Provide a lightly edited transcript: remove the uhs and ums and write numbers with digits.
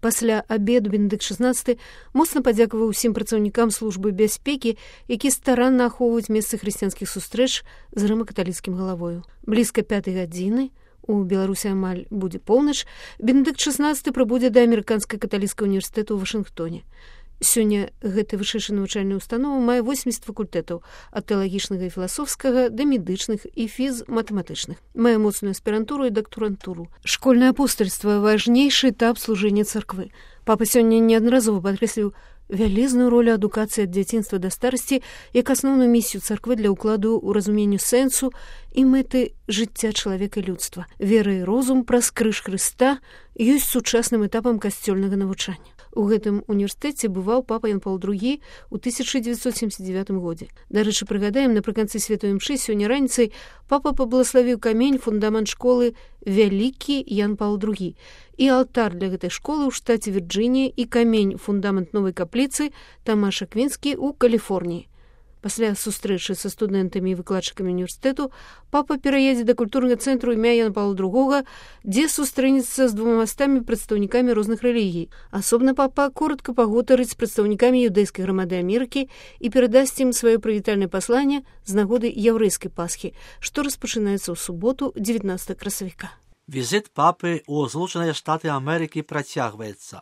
Пасля абеду Бенедыкт XVI моцна падзякаваў усім працаўнікам службы бяспекі, які старанна ахоўваюць месцы хрысціянскіх сустрэч з рыма-каталіцкім галавою. Блізка 5 гадзіны, у Беларусі амаль будзе поўнач, Бенедыкт XVI прыбудзе да амерыканскай каталіцкага універсітэту ў Вашынгтоне. Сёння гэты вышэйшая навучальная ўстанова мае 80 факультэтаў, ад тэалагічнага і філасофскага да медычных і фіз-матэматычных. Мае моцную аспірантуру і дактарантуру. Школьнае апостальства – важнейшы этап служэння царквы. Папа сёння неаднаразова падкрэсліў вялізную ролю адукацыі ад дзяцінства да старасці як асноўную місію царквы для ўкладу ў разуменню сэнсу і мэты жыцця чалавека і людства. Вера і розум праз крыж Хрыста ёсць сучасным этапам касцёльнага навучання. У гэтым універсітэце бываў папа Ян Паўл II у 1979 годзе. Дарэчы, прыгадаем, напрыканцы святой імшы сёння раніцай папа паблагаславіў камень фундамент школы «Вялікі Ян Паўл II» і алтар для гэтай школы ў штаце Вірджынія і камень фундамент новай капліцы Тамаш Аквінскі ў Каліфорніі. Пасля сустрэчы са студэнтамі і выкладчыкамі універсітэту папа пераедзе да культурнага цэнтру імя Яна Паўла II, дзе сустрэнецца з 200 прадстаўнікамі розных рэлігій. Асобна папа коротка пагутарыць з прадстаўнікамі юдэйскай грамады Амерыкі і перадасць ім сваё прывітальнае пасланне з нагоды яўрэйскай Пасхі, што распачынаецца ў суботу, 19 красавіка. Візит папи у Злучені Штати Америки протягується.